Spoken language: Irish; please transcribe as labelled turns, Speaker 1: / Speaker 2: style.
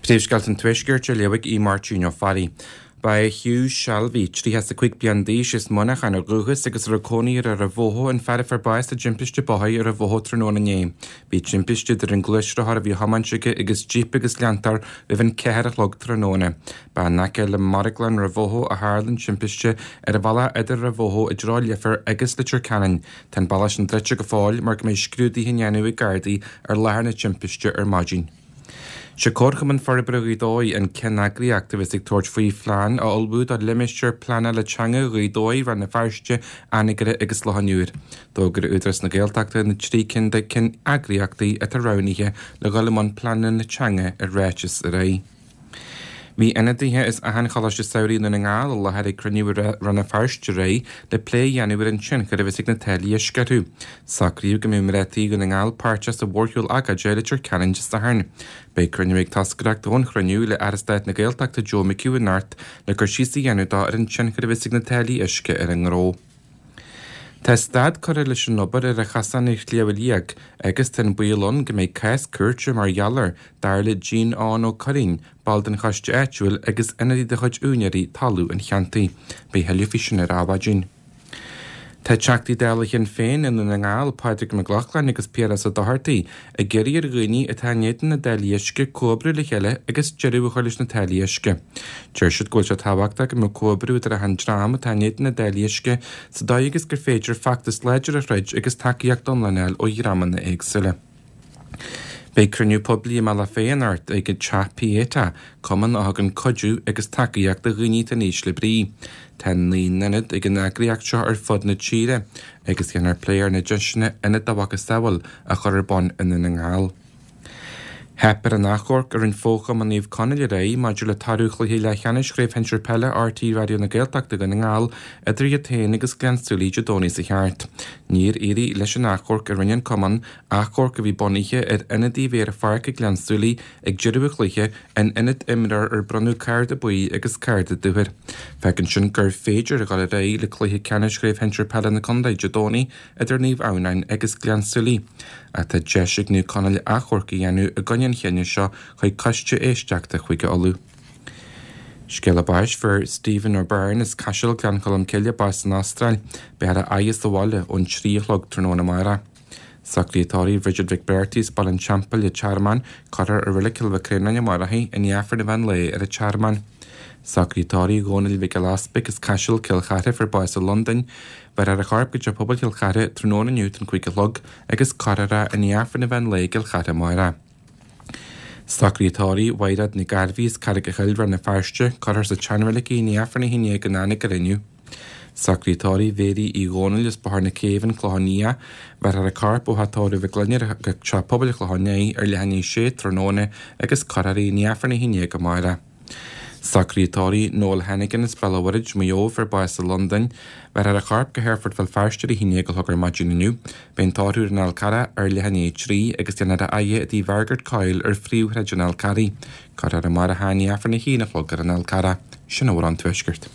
Speaker 1: Príomhscéalta an Tuaiscirt á léamh ag Aodh Máirtín Ó Fearraigh. Ba é Hugh Shalvey, 35 bliain d'aois, as Muineachán ó dhúchas agus a raibh cónaí air ar an Bhóthó an fear a fuair bás i dtimpiste bóthair ar an Bhóthó tráthnóna inné. Bhí timpiste idir an gluaisrothar a bhí á thiomáint aige agus jíp agus leantóir roimh an 4 a chlog tráthnóna. Ba in aice le marglann Rath Bhóthó a tharla an timpiste ar an bhealach idir Rath Bhóthó i dtreo Leifear agus Leitir Ceanainn. Tá an bealach sin druidte go fóill mar go mbeidh scrúduithe á ndéanamh ag Gardaí ar láthair na timpiste ar maidin. Sé Comharchumann Forbartha Ghaoth Dobhair an ceanneagraíocht a bheas ag tabhairt faoi phlean a ullmhú do limistéar pleanála teanga Ghaoth Dobhair, Rann na Feirste, Anagaire agus Loch an Iúir. D'fhógair Údarás na Gaeltachta na 3 cinn de ceanneagraíochtaí atá roghnaithe le dhul i mbun pleananna teanga i ráiteas aréir. Bhí ionadaithe as achan Choláiste Samhraidh i nDún na nGall i láthair ag cruinniú i Rann na Feirste aréir le plé a dhéanamh ar an tionchar a bheas ag na táillí uisce orthu. Socraíodh go mbeidh mná tí Dhún na nGall páirteach sa mhórshiúl agóide i Leitir Ceanainn Dé Sathairn. Beidh cruinniú ag toscaireacht ón chruinniú le Aire Stáit na Gaeltachta Joe McHugh anocht le cur síos a dhéanamh dó ar an tionchar a bheas ag na táillí uisce ar an ngnó. Tá stad curtha leis an obair ar an chosán ar Shliabh Liag agus tá an baol ann go mbeidh cás cúirte mar gheall air, dar le Gene Eoghan Ó Curraoin, ball den choiste áitiúil agus ionadaí de chuid úinéirí talún an cheantair. Beidh a thuilleadh faoi sin ar Adhmhaidin. Tá Teachtaí Dála Shinn Féin i nDún na nGall, Pádraig Mac Lochlainn agus Piaras Ó Dochartaigh, ag iarraidh ar dhaoine atá in éadan na dtáillí uisce comhoibriú le chéile agus deireadh a chur leis na táillí uisce. Deir siad go bhfuil sé tábhachtach go mbeadh comhoibriú idir achan dream atá in éadan na dtáillí uisce sa dóigh agus gur féidir feachtas láidir a throid agus tacaíocht iomlán a fháil ó dhreamanna éagsúla. Beidh cruinniú poiblí i mBealach Féich anocht ag Teach Pieta, cumann a thugann cuidiú agus tacaíocht do dhaoine atá in ísle brí. Tá 9 n-ionad ag an eagraíocht seo ar fud na tíre agus déanfar plé ar na deiseanna ionad dá mhacasamhail a chur ar bun i nDún na nGall. Theip ar an achomharc a rinne Fo-Chumann Naomh Conaill aréir maidir le toradh chluiche leathcheannais Chraobh Shinsir Peile RTÉ Raidió na Gaeltachta Dhún na nGall idir iad féin agus Gleann tSúilí Dé Domhnaigh seo thart. Níor éirigh leis an achomharc a rinne an cumann, achomharc a bhí bunaithe ar ionadaí a bhí ar an pháirc ag Gleann tSúilí ag deireadh an chluiche in ionad imreoir ar bronnadh cárta buí agus cárta dubh air. Fágann sin gur féidir a dhul ar aghaidh le cluiche ceannais Chraobh Shinsir Peile na Contae Dé Domhnaigh idir Naomh Adhamhnáin agus Gleann tSúilí. Ach tá deis ag Naomh Conaill achomharc a dhéanamh i gcoinne an chinnidh seo chuig Coiste Éisteachta Chúige Uladh. Scéala báis, Fuair Stephen O'Byrne as Caiseal, Gleann Cholm Cille, bás san Astráil. Beifear á fhaire sa bhaile ón 3 a chlog tráthnóna amárach. Socruithe tórraimh Bridget Mhic Breartaigh as Baile an Teampaill, an Tearmann, Cuirfear i Reilig Chill Mhic Réanáin amárach í, i ndiaidh Aifreann an mheán lae ar an Tearmann. Socruithe tórraimh Dhónaill Mhic Giolla Easpaig as Caiseal, Cill Chartha, fuair bás i Londain. Bhéarfar a chorp go Teach Pobail Chill Chartha tráthnóna inniu don 5 a chlog agus cuirfear é i ndiaidh Aifreann an mheán lae i gCill Chartha amárach. Socruithe tórraimh Mhaighread Nic Gairbhí as Carraig a' Chill, Rann na Feirste, cuirfear sa tseanreilig í i ndiaidh Aifreann 11 in Anagaire inniu. Socruithe tórraimh Mhéirí Uí Dhónaill as Bóthar na Céibhe, An Clochán Liath, bhéarfar a corp ó Theach Tórraimh Mhic Lionáird go Teach Pobail an Chlocháin Léith ar leath i ndiaidh a sé tráthnóna agus cuirfear í i ndiaidh Aifreann 11 amárach. Socruithe tórraimh Noel Hennigan as Béal an Mhuirthead, Maigh Eo, fuair bás i Londain. Bhéarfar a chorp go hAerfort Bhéal Feirste ar a haon déag a chlog ar maidin inniu. Beidh an tórramh ar an Fhál Carrach ar leath i ndiaidh a 3 agus déanfar a fhaire i dTigh Mhargaret Coyle ar Phríomhshráid an Fhál Carraigh. Cuirfear amárach é i ndiaidh Aifreann a haon a chlog ar an Fhál Carrach. Sin a bhfuil ón Tuaisceart.